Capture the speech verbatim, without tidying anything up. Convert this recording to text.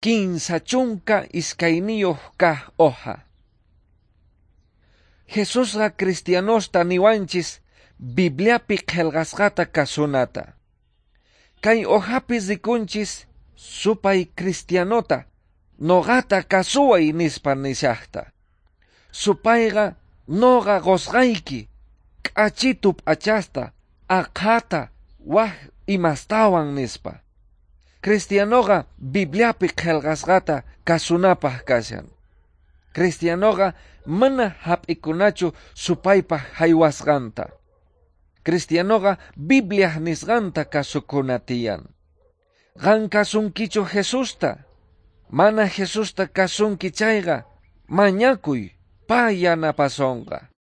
Kinsa chunka iskayniyuq kaq hoja. Jesusqa cristianosta niwanchis Bibliapi qillqasqata kasunata. Kay hojapi rikunchis supay cristianota noqata kasuway nispa nishaqta. Supayqa noqa qusqayki k'achitu p'achasta aqhata wak imastawan nispa. Cristianoqa Bibliapi qillqasqata kasunapaq kashan. Cristianoqa mana hap'ikunachu supaypaq haywasqanta. Cristianoqa Bibliaq nisqanta kasukuna tiyan. Qan kasunkichu Jesusta? Mana Jesusta kasunki chayqa mañakuy pay yanapasonqa.